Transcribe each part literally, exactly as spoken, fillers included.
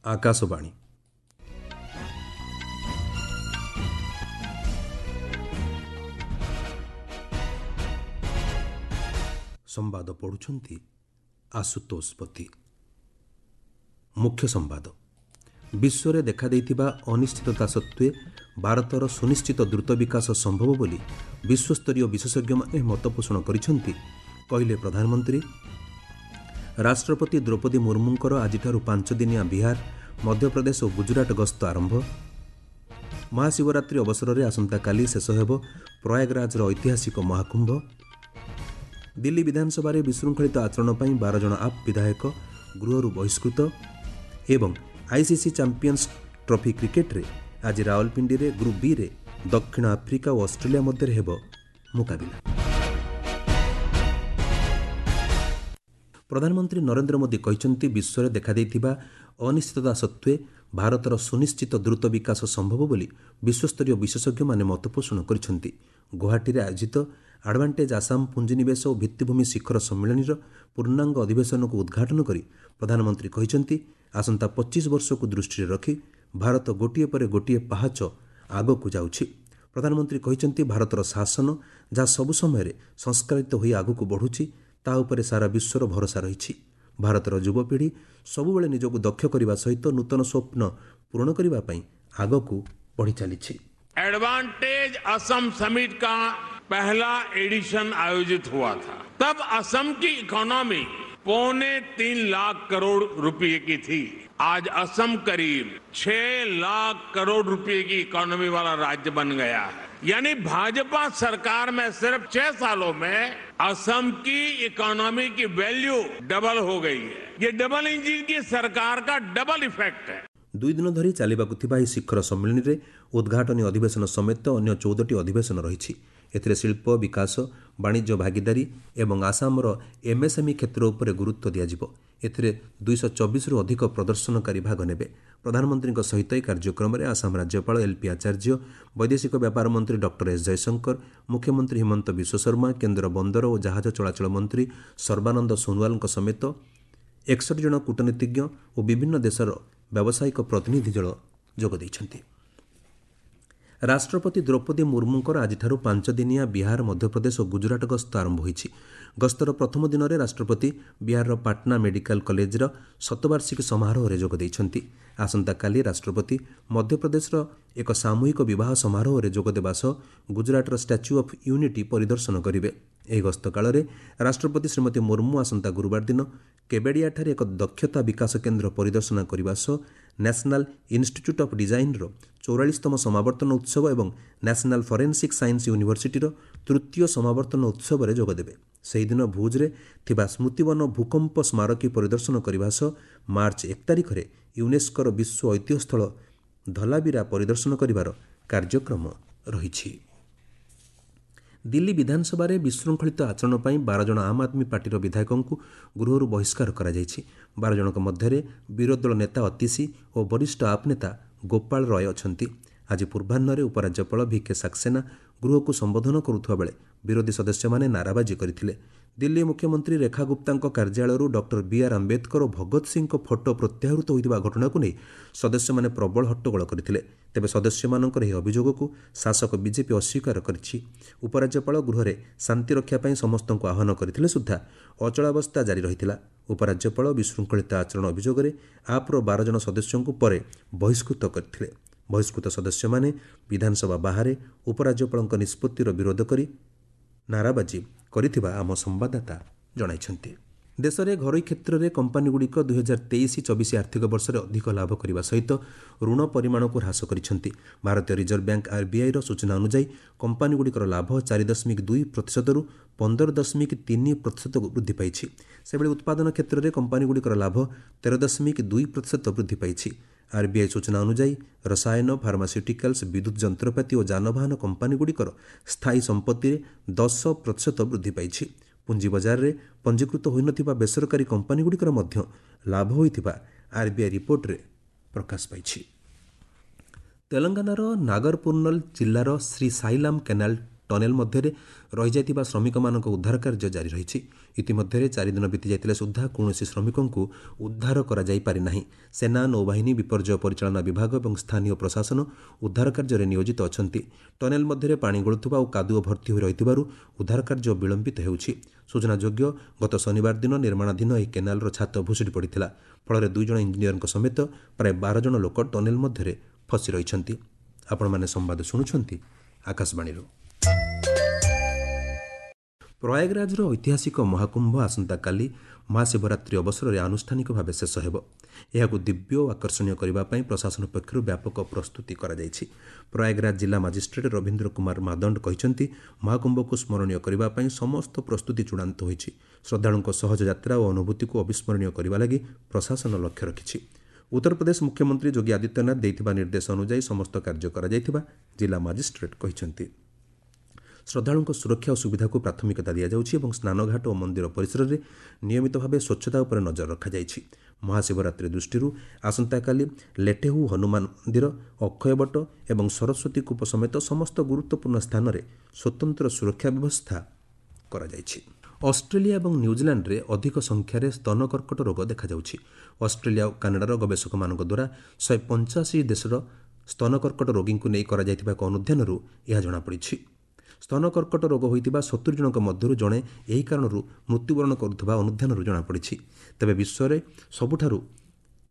ଆକାଶବାଣୀ। ସମ୍ବାଦ ପଢ଼ୁଛନ୍ତି ଆଶୁତୋଷ ପତି। ମୁଖ୍ୟ ସମ୍ବାଦ। ବିଶ୍ୱରେ ଦେଖାଦେଇଥିବା ଅନିଶ୍ଚିତତା ସତ୍ତ୍ୱେ ଭାରତର ସୁନିଶ୍ଚିତ ଦ୍ରୁତ ବିକାଶ ସମ୍ଭବ ବୋଲି ବିଶ୍ୱସ୍ତରୀୟ ବିଶେଷଜ୍ଞମାନେ ମତପୋଷଣ କରିଛନ୍ତି, କହିଲେ ପ୍ରଧାନମନ୍ତ୍ରୀ। ରାଷ୍ଟ୍ରପତି ଦ୍ରୌପଦୀ ମୁର୍ମୁଙ୍କର ଆଜିଠାରୁ ପାଞ୍ଚଦିନିଆ ବିହାର, ମଧ୍ୟପ୍ରଦେଶ ଓ ଗୁଜରାଟ ଗସ୍ତ ଆରମ୍ଭ। ମହାଶିବରାତ୍ରି ଅବସରରେ ଆସନ୍ତାକାଲି ଶେଷ ହେବ ପ୍ରୟାଗରାଜର ଐତିହାସିକ ମହାକୁମ୍ଭ। ଦିଲ୍ଲୀ ବିଧାନସଭାରେ ବିଶୃଙ୍ଖଳିତ ଆଚରଣ ପାଇଁ ବାର ଜଣ ଆପ୍ ବିଧାୟକ ଗୃହରୁ ବହିଷ୍କୃତ। ଏବଂ ଆଇସିସି ଚାମ୍ପିୟନ୍ସ ଟ୍ରଫି କ୍ରିକେଟରେ ଆଜି ରାୱଲପିଣ୍ଡିରେ ଗ୍ରୁପ୍ ବିରେ ଦକ୍ଷିଣ ଆଫ୍ରିକା ଓ ଅଷ୍ଟ୍ରେଲିଆ ମଧ୍ୟରେ ହେବ ମୁକାବିଲା। ପ୍ରଧାନମନ୍ତ୍ରୀ ନରେନ୍ଦ୍ର ମୋଦି କହିଛନ୍ତି, ବିଶ୍ୱରେ ଦେଖାଦେଇଥିବା ଅନିଶ୍ଚିତତା ସତ୍ତ୍ୱେ ଭାରତର ସୁନିଶ୍ଚିତ ଦ୍ରୁତ ବିକାଶ ସମ୍ଭବ ବୋଲି ବିଶ୍ୱସ୍ତରୀୟ ବିଶେଷଜ୍ଞମାନେ ମତପୋଷଣ କରିଛନ୍ତି। ଗୁଆହାଟୀରେ ଆୟୋଜିତ ଆଡଭାଣ୍ଟେଜ୍ ଆସାମ ପୁଞ୍ଜିନିବେଶ ଓ ଭିତ୍ତିଭୂମି ଶିଖର ସମ୍ମିଳନୀର ପୂର୍ଣ୍ଣାଙ୍ଗ ଅଧିବେଶନକୁ ଉଦ୍ଘାଟନ କରି ପ୍ରଧାନମନ୍ତ୍ରୀ କହିଛନ୍ତି, ଆସନ୍ତା ପଚିଶ ବର୍ଷକୁ ଦୃଷ୍ଟିରେ ରଖି ଭାରତ ଗୋଟିଏ ପରେ ଗୋଟିଏ ପାହାଚ ଆଗକୁ ଯାଉଛି। ପ୍ରଧାନମନ୍ତ୍ରୀ କହିଛନ୍ତି, ଭାରତର ଶାସନ ଯାହା ସବୁ ସମୟରେ ସଂସ୍କାରିତ ହୋଇ ଆଗକୁ ବଢ଼ୁଛି, ତାହା ଉପରେ ସାରା ବିଶ୍ୱର ଭରସା ରହିଛି। ଭାରତର ଯୁବପିଢ଼ି ସବୁବେଳେ ନିଜକୁ ଦକ୍ଷ କରିବା ସହିତ ନୂତନ ସ୍ୱପ୍ନ ପୂରଣ କରିବା ପାଇଁ ଆଗକୁ ବଢ଼ି ଚାଲିଛି। एडवांटेज असम समिट का पहला एडिशन आयोजित हुआ था, तब असम की इकोनॉमी पौने तीन लाख करोड़ रुपए की थी। आज असम करीब छह लाख करोड़ रुपए की इकोनॉमी वाला राज्य बन गया है। यानी भाजपा सरकार में सिर्फ छह सालों में असम की इकोनॉमी की वैल्यू डबल हो गई है। ये डबल इंजन की सरकार का डबल इफेक्ट है। ଦୁଇ ଦିନ ଧରି ଚାଲିବାକୁ ଥିବା ଏହି ଶିଖର ସମ୍ମିଳନୀରେ ଉଦ୍ଘାଟନୀ ଅଧିବେଶନ ସମେତ ଅନ୍ୟ ଚଉଦଟି ଅଧିବେଶନ ରହିଛି। ଏଥିରେ ଶିଳ୍ପ ବିକାଶ, ବାଣିଜ୍ୟ ଭାଗିଦାରୀ ଏବଂ ଆସାମର ଏମ୍ଏସ୍ଏମ୍ଇ କ୍ଷେତ୍ର ଉପରେ ଗୁରୁତ୍ୱ ଦିଆଯିବ। ଏଥିରେ ଦୁଇଶହ ଚବିଶରୁ ଅଧିକ ପ୍ରଦର୍ଶନକାରୀ ଭାଗ ନେବେ। ପ୍ରଧାନମନ୍ତ୍ରୀଙ୍କ ସହିତ ଏହି କାର୍ଯ୍ୟକ୍ରମରେ ଆସାମ ରାଜ୍ୟପାଳ ଏଲ୍ପି ଆଚାର୍ଯ୍ୟ, ବୈଦେଶିକ ବ୍ୟାପାର ମନ୍ତ୍ରୀ ଡକ୍ଟର ଏସ୍ ଜୟଶଙ୍କର, ମୁଖ୍ୟମନ୍ତ୍ରୀ ହିମନ୍ତ ବିଶ୍ୱଶର୍ମା, କେନ୍ଦ୍ର ବନ୍ଦର ଓ ଜାହାଜ ଚଳାଚଳ ମନ୍ତ୍ରୀ ସର୍ବାନନ୍ଦ ସୋନୋୱାଲଙ୍କ ସମେତ ଏକଷଠି ଜଣ କୂଟନୀତିଜ୍ଞ ଓ ବିଭିନ୍ନ ଦେଶର ବ୍ୟାବସାୟିକ ପ୍ରତିନିଧି ଦଳ ଯୋଗ ଦେଇଛନ୍ତି। ରାଷ୍ଟ୍ରପତି ଦ୍ରୌପଦୀ ମୁର୍ମୁଙ୍କର ଆଜିଠାରୁ ପାଞ୍ଚଦିନିଆ ବିହାର, ମଧ୍ୟପ୍ରଦେଶ ଓ ଗୁଜରାଟ ଗସ୍ତ ଆରମ୍ଭ ହୋଇଛି। ଗସ୍ତର ପ୍ରଥମ ଦିନରେ ରାଷ୍ଟ୍ରପତି ବିହାରର ପାଟନା ମେଡିକାଲ କଲେଜର ଶତବାର୍ଷିକୀ ସମାରୋହରେ ଯୋଗ ଦେଇଛନ୍ତି। ଆସନ୍ତାକାଲି ରାଷ୍ଟ୍ରପତି ମଧ୍ୟପ୍ରଦେଶର ଏକ ସାମୂହିକ ବିବାହ ସମାରୋହରେ ଯୋଗଦେବା ସହ ଗୁଜରାଟର ଷ୍ଟାଚ୍ୟୁ ଅଫ୍ ୟୁନିଟି ପରିଦର୍ଶନ କରିବେ। ଏହି ଗସ୍ତ କାଳରେ ରାଷ୍ଟ୍ରପତି ଶ୍ରୀମତୀ ମୁର୍ମୁ ଆସନ୍ତା ଗୁରୁବାର ଦିନ କେବେଡ଼ିଆଠାରେ ଏକ ଦକ୍ଷତା ବିକାଶ କେନ୍ଦ୍ର ପରିଦର୍ଶନ କରିବା ସହ ନ୍ୟାସନାଲ ଇନ୍ଷ୍ଟିଚ୍ୟୁଟ୍ ଅଫ୍ ଡିଜାଇନ୍ର ଚଉରାଳିଶତମ ସମାବର୍ତ୍ତନ ଉତ୍ସବ ଏବଂ ନ୍ୟାସନାଲ ଫରେନ୍ସିକ୍ ସାଇନ୍ସ ୟୁନିଭର୍ସିଟିର ତୃତୀୟ ସମାବର୍ତ୍ତନ ଉତ୍ସବରେ ଯୋଗଦେବେ। ସେହିଦିନ ଭୁଜ୍ରେ ଥିବା ସ୍ମୃତିବନ ଭୂକମ୍ପ ସ୍ମାରକୀ ପରିଦର୍ଶନ କରିବା ସହ ମାର୍ଚ୍ଚ ଏକ ତାରିଖରେ ୟୁନେସ୍କୋର ବିଶ୍ୱ ଐତିହ୍ୟସ୍ଥଳ ଧଲାବିରା ପରିଦର୍ଶନ କରିବାର କାର୍ଯ୍ୟକ୍ରମ ରହିଛି। ଦିଲ୍ଲୀ ବିଧାନସଭାରେ ବିଶୃଙ୍ଖଳିତ ଆଚରଣ ପାଇଁ ବାର ଜଣ ଆମ୍ ଆଦମୀ ପାର୍ଟିର ବିଧାୟକଙ୍କୁ ଗୃହରୁ ବହିଷ୍କାର କରାଯାଇଛି। ବାର ଜଣଙ୍କ ମଧ୍ୟରେ ବିରୋଧୀ ଦଳ ନେତା ଅତିଶୀ ଓ ବରିଷ୍ଠ ଆପ୍ ନେତା ଗୋପାଳ ରୟ ଅଛନ୍ତି। ଆଜି ପୂର୍ବାହ୍ନରେ ଉପରାଜ୍ୟପାଳ ଭି କେ ସାକ୍ସେନା ଗୃହକୁ ସମ୍ବୋଧନ କରୁଥିବା ବେଳେ ବିରୋଧୀ ସଦସ୍ୟମାନେ ନାରାବାଜି କରିଥିଲେ। ଦିଲ୍ଲୀ ମୁଖ୍ୟମନ୍ତ୍ରୀ ରେଖା ଗୁପ୍ତାଙ୍କ କାର୍ଯ୍ୟାଳୟରୁ ଡକ୍ଟର ବି ଆର୍ ଆମ୍ବେଦକର ଓ ଭଗତ ସିଂଙ୍କ ଫଟୋ ପ୍ରତ୍ୟାହୃତ ହୋଇଥିବା ଘଟଣାକୁ ନେଇ ସଦସ୍ୟମାନେ ପ୍ରବଳ ହଟ୍ଟଗୋଳ କରିଥିଲେ। ତେବେ ସଦସ୍ୟମାନଙ୍କର ଏହି ଅଭିଯୋଗକୁ ଶାସକ ବିଜେପି ଅସ୍ୱୀକାର କରିଛି। ଉପରାଜ୍ୟପାଳ ଗୃହରେ ଶାନ୍ତି ରକ୍ଷା ପାଇଁ ସମସ୍ତଙ୍କୁ ଆହ୍ୱାନ କରିଥିଲେ ସୁଦ୍ଧା ଅଚଳାବସ୍ଥା ଜାରି ରହିଥିଲା। ଉପରାଜ୍ୟପାଳ ବିଶୃଙ୍ଖଳିତ ଆଚରଣ ଅଭିଯୋଗରେ ଆପ୍ର ବାର ଜଣ ସଦସ୍ୟଙ୍କୁ ପରେ ବହିଷ୍କୃତ କରିଥିଲେ। ବହିଷ୍କୃତ ସଦସ୍ୟମାନେ ବିଧାନସଭା ବାହାରେ ଉପରାଜ୍ୟପାଳଙ୍କ ନିଷ୍ପତ୍ତିର ବିରୋଧ କରି ନାରାବାଜି କରିଥିବା ଆମ ସମ୍ବାଦଦାତା ଜଣାଇଛନ୍ତି। ଦେଶରେ ଘରୋଇ କ୍ଷେତ୍ରରେ କମ୍ପାନୀଗୁଡ଼ିକ ଦୁଇହଜାର ତେଇଶ ଚବିଶ ଆର୍ଥିକ ବର୍ଷରେ ଅଧିକ ଲାଭ କରିବା ସହିତ ଋଣ ପରିମାଣକୁ ହ୍ରାସ କରିଛନ୍ତି। ଭାରତୀୟ ରିଜର୍ଭ ବ୍ୟାଙ୍କ ଆର୍ବିଆଇର ସୂଚନା ଅନୁଯାୟୀ କମ୍ପାନୀଗୁଡ଼ିକର ଲାଭ ଚାରି ଦଶମିକ ଦୁଇ ପ୍ରତିଶତରୁ ପନ୍ଦର ଦଶମିକ ତିନି ପ୍ରତିଶତକୁ ବୃଦ୍ଧି ପାଇଛି। ସେଭଳି ଉତ୍ପାଦନ କ୍ଷେତ୍ରରେ କମ୍ପାନୀଗୁଡ଼ିକର ଲାଭ ତେର ଦଶମିକ ଦୁଇ ପ୍ରତିଶତ ବୃଦ୍ଧି ପାଇଛି। ଆର୍ବିଆଇ ସୂଚନା ଅନୁଯାୟୀ ରସାୟନ, ଫାର୍ମାସ୍ୟୁଟିକାଲ୍ସ, ବିଦ୍ୟୁତ୍ ଯନ୍ତ୍ରପାତି ଓ ଯାନବାହନ କମ୍ପାନୀଗୁଡ଼ିକର ସ୍ଥାୟୀ ସମ୍ପତ୍ତିରେ ଦଶ ପ୍ରତିଶତ ବୃଦ୍ଧି ପାଇଛି। ପୁଞ୍ଜି ବଜାରରେ ପଞ୍ଜୀକୃତ ହୋଇନଥିବା ବେସରକାରୀ କମ୍ପାନୀଗୁଡ଼ିକର ମଧ୍ୟ ଲାଭ ହୋଇଥିବା ଆର୍ବିଆଇ ରିପୋର୍ଟରେ ପ୍ରକାଶ ପାଇଛି। ତେଲଙ୍ଗାନାର ନାଗରପୁର୍ଣ୍ଣଲ ଜିଲ୍ଲାର ଶ୍ରୀ ସାଇଲାମ କେନାଲ ଟନେଲ ମଧ୍ୟରେ ରହିଯାଇଥିବା ଶ୍ରମିକମାନଙ୍କ ଉଦ୍ଧାର କାର୍ଯ୍ୟ ଜାରି ରହିଛି। ଇତିମଧ୍ୟରେ ଚାରିଦିନ ବିତିଯାଇଥିଲେ ସୁଦ୍ଧା କୌଣସି ଶ୍ରମିକଙ୍କୁ ଉଦ୍ଧାର କରାଯାଇପାରିନାହିଁ। ସେନା, ନୌବାହିନୀ, ବିପର୍ଯ୍ୟୟ ପରିଚାଳନା ବିଭାଗ ଏବଂ ସ୍ଥାନୀୟ ପ୍ରଶାସନ ଉଦ୍ଧାର କାର୍ଯ୍ୟରେ ନିୟୋଜିତ ଅଛନ୍ତି। ଟନେଲ ମଧ୍ୟରେ ପାଣି ଗଳୁଥିବା ଓ କାଦୁଅ ଭର୍ତ୍ତି ହୋଇ ରହିଥିବାରୁ ଉଦ୍ଧାର କାର୍ଯ୍ୟ ବିଳମ୍ବିତ ହେଉଛି। ସୂଚନାଯୋଗ୍ୟ, ଗତ ଶନିବାର ଦିନ ନିର୍ମାଣାଧୀନ ଏହି କେନାଲର ଛାତ ଭୁଶୁଡ଼ି ପଡ଼ିଥିଲା। ଫଳରେ ଦୁଇ ଜଣ ଇଞ୍ଜିନିୟରଙ୍କ ସମେତ ପ୍ରାୟ ବାର ଜଣ ଲୋକ ଟନେଲ ମଧ୍ୟରେ ଫସି ରହିଛନ୍ତି। ଆପଣମାନେ ସମ୍ବାଦ ଶୁଣୁଛନ୍ତି ଆକାଶବାଣୀରୁ। ପ୍ରୟାଗରାଜର ଐତିହାସିକ ମହାକୁମ୍ଭ ଆସନ୍ତାକାଲି ମହାଶିବରାତ୍ରି ଅବସରରେ ଆନୁଷ୍ଠାନିକ ଭାବେ ଶେଷ ହେବ। ଏହାକୁ ଦିବ୍ୟ ଓ ଆକର୍ଷଣୀୟ କରିବା ପାଇଁ ପ୍ରଶାସନ ପକ୍ଷରୁ ବ୍ୟାପକ ପ୍ରସ୍ତୁତି କରାଯାଇଛି। ପ୍ରୟାଗରାଜ ଜିଲ୍ଲା ମାଜିଷ୍ଟ୍ରେଟ୍ ରବୀନ୍ଦ୍ର କୁମାର ମାଦଣ୍ଡ କହିଛନ୍ତି, ମହାକୁମ୍ଭକୁ ସ୍ମରଣୀୟ କରିବା ପାଇଁ ସମସ୍ତ ପ୍ରସ୍ତୁତି ଚୂଡ଼ାନ୍ତ ହୋଇଛି। ଶ୍ରଦ୍ଧାଳୁଙ୍କ ସହଜ ଯାତ୍ରା ଓ ଅନୁଭୂତିକୁ ଅବିସ୍ମରଣୀୟ କରିବା ଲାଗି ପ୍ରଶାସନ ଲକ୍ଷ୍ୟ ରଖିଛି। ଉତ୍ତରପ୍ରଦେଶ ମୁଖ୍ୟମନ୍ତ୍ରୀ ଯୋଗୀ ଆଦିତ୍ୟନାଥ ଦେଇଥିବା ନିର୍ଦ୍ଦେଶ ଅନୁଯାୟୀ ସମସ୍ତ କାର୍ଯ୍ୟ କରାଯାଇଥିବା ଜିଲ୍ଲା ମାଜିଷ୍ଟ୍ରେଟ୍ କହିଛନ୍ତି। ଶ୍ରଦ୍ଧାଳୁଙ୍କ ସୁରକ୍ଷା ଓ ସୁବିଧାକୁ ପ୍ରାଥମିକତା ଦିଆଯାଉଛି ଏବଂ ସ୍ନାନଘାଟ ଓ ମନ୍ଦିର ପରିସରରେ ନିୟମିତ ଭାବେ ସ୍ୱଚ୍ଛତା ଉପରେ ନଜର ରଖାଯାଇଛି। ମହାଶିବରାତ୍ରି ଦୃଷ୍ଟିରୁ ଆସନ୍ତାକାଲି ଲେଠେହୁ ହନୁମାନ ମନ୍ଦିର, ଅକ୍ଷୟବଟ ଏବଂ ସରସ୍ୱତୀ କୂପ ସମେତ ସମସ୍ତ ଗୁରୁତ୍ୱପୂର୍ଣ୍ଣ ସ୍ଥାନରେ ସ୍ୱତନ୍ତ୍ର ସୁରକ୍ଷା ବ୍ୟବସ୍ଥା କରାଯାଇଛି। ଅଷ୍ଟ୍ରେଲିଆ ଏବଂ ନ୍ୟୁଜିଲାଣ୍ଡରେ ଅଧିକ ସଂଖ୍ୟାରେ ସ୍ତନ କର୍କଟ ରୋଗ ଦେଖାଯାଉଛି। ଅଷ୍ଟ୍ରେଲିଆ ଓ କାନାଡାର ଗବେଷକମାନଙ୍କ ଦ୍ୱାରା ଶହେ ପଞ୍ଚାଅଶୀ ଦେଶର ସ୍ତନ କର୍କଟ ରୋଗୀଙ୍କୁ ନେଇ କରାଯାଇଥିବା ଏକ ଅନୁଧ୍ୟାନରୁ ଏହା ଜଣାପଡ଼ିଛି। ସ୍ତନ କର୍କଟ ରୋଗ ହୋଇଥିବା ସତୁରି ଜଣଙ୍କ ମଧ୍ୟରୁ ଜଣେ ଏହି କାରଣରୁ ମୃତ୍ୟୁବରଣ କରୁଥିବା ଅନୁଧ୍ୟାନରୁ ଜଣାପଡ଼ିଛି। ତେବେ ବିଶ୍ୱରେ ସବୁଠାରୁ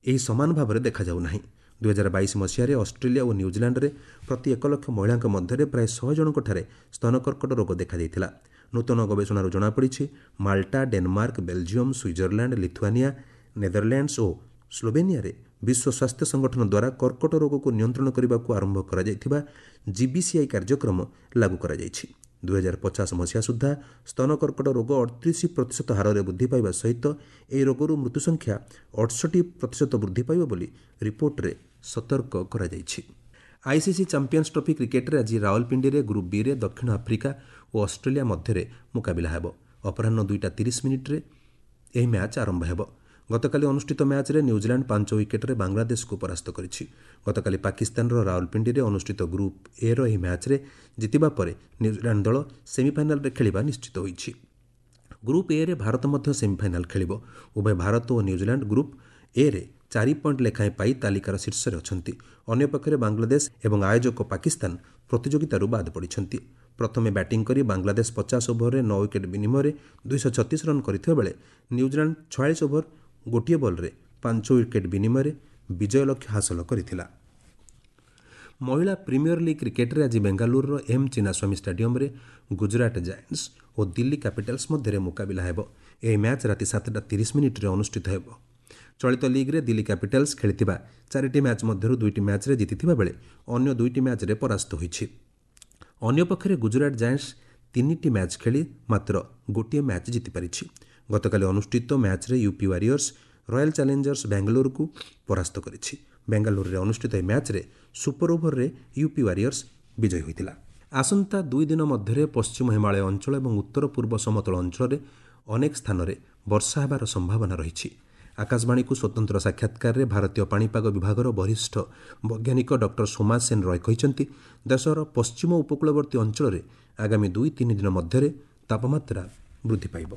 ଏହି ସମାନ ଭାବରେ ଦେଖାଯାଉ ନାହିଁ। ଦୁଇହଜାର ବାଇଶ ମସିହାରେ ଅଷ୍ଟ୍ରେଲିଆ ଓ ନ୍ୟୁଜିଲାଣ୍ଡରେ ପ୍ରତି ଏକ ଲକ୍ଷ ମହିଳାଙ୍କ ମଧ୍ୟରେ ପ୍ରାୟ ଶହେ ଜଣଙ୍କଠାରେ ସ୍ତନ କର୍କଟ ରୋଗ ଦେଖାଯାଇଥିଲା। ନୂତନ ଗବେଷଣାରୁ ଜଣାପଡ଼ିଛି, Malta, Denmark, Belgium, Switzerland, Lithuania, Netherlands ଓ ସ୍ଲୋବେନିଆରେ ବିଶ୍ୱ ସ୍ୱାସ୍ଥ୍ୟ ସଂଗଠନ ଦ୍ୱାରା କର୍କଟ ରୋଗକୁ ନିୟନ୍ତ୍ରଣ କରିବାକୁ ଆରମ୍ଭ କରାଯାଇଥିବା ଜିବିସିଆଇ କାର୍ଯ୍ୟକ୍ରମ ଲାଗୁ କରାଯାଇଛି। ଦୁଇହଜାର ପଚାଶ ମସିହା ସୁଦ୍ଧା ସ୍ତନ କର୍କଟ ରୋଗ ଅଠତିରିଶ ପ୍ରତିଶତ ହାରରେ ବୃଦ୍ଧି ପାଇବା ସହିତ ଏହି ରୋଗରୁ ମୃତ୍ୟୁ ସଂଖ୍ୟା ଅଠଷଠି ପ୍ରତିଶତ ବୃଦ୍ଧି ପାଇବ ବୋଲି ରିପୋର୍ଟରେ ସତର୍କ କରାଯାଇଛି। ଆଇସିସି ଚାମ୍ପିୟନ୍ସ ଟ୍ରଫି କ୍ରିକେଟରେ ଆଜି ରାୱଲପିଣ୍ଡିରେ ଗ୍ରୁପ୍ ବିରେ ଦକ୍ଷିଣ ଆଫ୍ରିକା ଓ ଅଷ୍ଟ୍ରେଲିଆ ମଧ୍ୟରେ ମୁକାବିଲା ହେବ। ଅପରାହ୍ନ ଦୁଇଟା ତିରିଶ ମିନିଟ୍ରେ ଏହି ମ୍ୟାଚ୍ ଆରମ୍ଭ ହେବ। ଗତକାଲି ଅନୁଷ୍ଠିତ ମ୍ୟାଚ୍ରେ ନ୍ୟୁଜିଲାଣ୍ଡ ପାଞ୍ଚ ୱିକେଟ୍ରେ ବାଂଲାଦେଶକୁ ପରାସ୍ତ କରିଛି। ଗତକାଲି ପାକିସ୍ତାନର ରାୱଲପିଣ୍ଡିରେ ଅନୁଷ୍ଠିତ ଗ୍ରୁପ୍ ଏର ଏହି ମ୍ୟାଚ୍ରେ ଜିତିବା ପରେ ନ୍ୟୁଜିଲାଣ୍ଡ ଦଳ ସେମିଫାଇନାଲରେ ଖେଳିବା ନିଶ୍ଚିତ ହୋଇଛି। ଗ୍ରୁପ୍ ଏରେ ଭାରତ ମଧ୍ୟ ସେମିଫାଇନାଲ ଖେଳିବ। ଉଭୟ ଭାରତ ଓ ନ୍ୟୁଜିଲାଣ୍ଡ ଗ୍ରୁପ୍ ଏରେ ଚାରି ପଏଣ୍ଟ ଲେଖାଏଁ ପାଇ ତାଲିକାର ଶୀର୍ଷରେ ଅଛନ୍ତି। ଅନ୍ୟପକ୍ଷରେ ବାଂଲାଦେଶ ଏବଂ ଆୟୋଜକ ପାକିସ୍ତାନ ପ୍ରତିଯୋଗିତାରୁ ବାଦ୍ ପଡ଼ିଛନ୍ତି। ପ୍ରଥମେ ବ୍ୟାଟିଂ କରି ବାଂଲାଦେଶ ପଚାଶ ଓଭରରେ ନଅ ୱିକେଟ୍ ବିନିମୟରେ ଦୁଇଶହ ଛତିଶ ରନ୍ କରିଥିବା ବେଳେ ନ୍ୟୁଜିଲାଣ୍ଡ ଛୟାଳିଶ ଓଭର ଗୋଟିଏ ବଲ୍ରେ ପାଞ୍ଚ ୱିକେଟ୍ ବିନିମୟରେ ବିଜୟ ଲକ୍ଷ୍ୟ ହାସଲ କରିଥିଲା। ମହିଳା ପ୍ରିମିୟର ଲିଗ୍ କ୍ରିକେଟରେ ଆଜି ବେଙ୍ଗାଲୁରୁର ଏମ୍ ଚିନ୍ନାସ୍ୱାମୀ ଷ୍ଟାଡିୟମରେ ଗୁଜରାଟ ଜାଏଣ୍ଟସ୍ ଓ ଦିଲ୍ଲୀ କ୍ୟାପିଟାଲ୍ସ ମଧ୍ୟରେ ମୁକାବିଲା ହେବ। ଏହି ମ୍ୟାଚ୍ ରାତି ସାତଟା ତିରିଶ ମିନିଟ୍ରେ ଅନୁଷ୍ଠିତ ହେବ। ଚଳିତ ଲିଗ୍ରେ ଦିଲ୍ଲୀ କ୍ୟାପିଟାଲ୍ସ ଖେଳିଥିବା ଚାରିଟି ମ୍ୟାଚ୍ ମଧ୍ୟରୁ ଦୁଇଟି ମ୍ୟାଚ୍ରେ ଜିତିଥିବା ବେଳେ ଅନ୍ୟ ଦୁଇଟି ମ୍ୟାଚ୍ରେ ପରାସ୍ତ ହୋଇଛି। ଅନ୍ୟପକ୍ଷରେ ଗୁଜରାଟ ଜାଏଣ୍ଟସ୍ ତିନିଟି ମ୍ୟାଚ୍ ଖେଳି ମାତ୍ର ଗୋଟିଏ ମ୍ୟାଚ୍ ଜିତିପାରିଛି। ଗତକାଲି ଅନୁଷ୍ଠିତ ମ୍ୟାଚ୍ରେ ୟୁପି ୱାରିୟର୍ସ ରୟାଲ ଚ୍ୟାଲେଞ୍ଜର୍ସ ବାଙ୍ଗାଲୋରକୁ ପରାସ୍ତ କରିଛି। ବେଙ୍ଗାଲୁରୁରେ ଅନୁଷ୍ଠିତ ଏହି ମ୍ୟାଚ୍ରେ ସୁପର ଓଭରରେ ୟୁପି ୱାରିୟର୍ସ ବିଜୟୀ ହୋଇଥିଲା। ଆସନ୍ତା ଦୁଇ ଦିନ ମଧ୍ୟରେ ପଶ୍ଚିମ ହିମାଳୟ ଅଞ୍ଚଳ ଏବଂ ଉତ୍ତର ପୂର୍ବ ସମତଳ ଅଞ୍ଚଳରେ ଅନେକ ସ୍ଥାନରେ ବର୍ଷା ହେବାର ସମ୍ଭାବନା ରହିଛି। ଆକାଶବାଣୀକୁ ସ୍ୱତନ୍ତ୍ର ସାକ୍ଷାତକାରରେ ଭାରତୀୟ ପାଣିପାଗ ବିଭାଗର ବରିଷ୍ଠ ବୈଜ୍ଞାନିକ ଡକ୍ଟର ସୋମା ସେନ ରୟ କହିଛନ୍ତି, ଦେଶର ପଶ୍ଚିମ ଉପକୂଳବର୍ତ୍ତୀ ଅଞ୍ଚଳରେ ଆଗାମୀ ଦୁଇ ତିନି ଦିନ ମଧ୍ୟରେ ତାପମାତ୍ରା ବୃଦ୍ଧି ପାଇବ।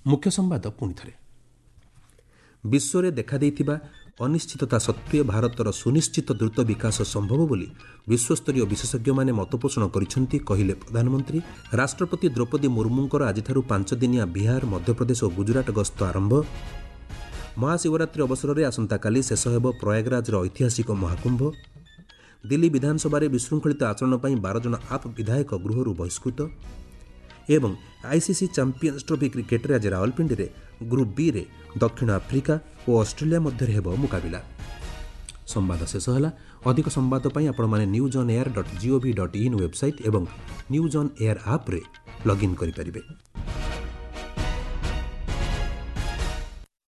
ମୁଖ୍ୟ ସମ୍ବାଦ ପୁଣିଥରେ। ବିଶ୍ୱରେ ଦେଖାଦେଇଥିବା ଅନିଶ୍ଚିତତା ସତ୍ତ୍ୱେ ଭାରତର ସୁନିଶ୍ଚିତ ଦ୍ରୁତ ବିକାଶ ସମ୍ଭବ ବୋଲି ବିଶ୍ୱସ୍ତରୀୟ ବିଶେଷଜ୍ଞମାନେ ମତପୋଷଣ କରିଛନ୍ତି, କହିଲେ ପ୍ରଧାନମନ୍ତ୍ରୀ। ରାଷ୍ଟ୍ରପତି ଦ୍ରୌପଦୀ ମୁର୍ମୁଙ୍କର ଆଜିଠାରୁ ପାଞ୍ଚ ଦିନିଆ ବିହାର, ମଧ୍ୟପ୍ରଦେଶ ଓ ଗୁଜରାଟ ଗସ୍ତ ଆରମ୍ଭ। ମହାଶିବରାତ୍ରି ଅବସରରେ ଆସନ୍ତାକାଲି ଶେଷ ହେବ ପ୍ରୟାଗରାଜର ଐତିହାସିକ ମହାକୁମ୍ଭ। ଦିଲ୍ଲୀ ବିଧାନସଭାରେ ବିଶୃଙ୍ଖଳିତ ଆଚରଣ ପାଇଁ ବାର ଜଣ ଆପ୍ ବିଧାୟକ ଗୃହରୁ ବହିଷ୍କୃତ। ଏବଂ ଆଇସିସି ଚାମ୍ପିୟନ୍ସ ଟ୍ରଫି କ୍ରିକେଟରେ ଆଜି ରାୱଲପିଣ୍ଡିରେ ଗ୍ରୁପ୍ ବିରେ ଦକ୍ଷିଣ ଆଫ୍ରିକା ଓ ଅଷ୍ଟ୍ରେଲିଆ ମଧ୍ୟରେ ହେବ ମୁକାବିଲା। ସମ୍ବାଦ ଶେଷ ହେଲା। ଅଧିକ ସମ୍ବାଦ ପାଇଁ ଆପଣମାନେ news on air dot gov dot in website ଏବଂ ନ୍ୟୁଜ୍ ଅନ୍ ଏୟାର ଆପ୍ରେ ଲଗ୍ଇନ୍ କରିପାରିବେ।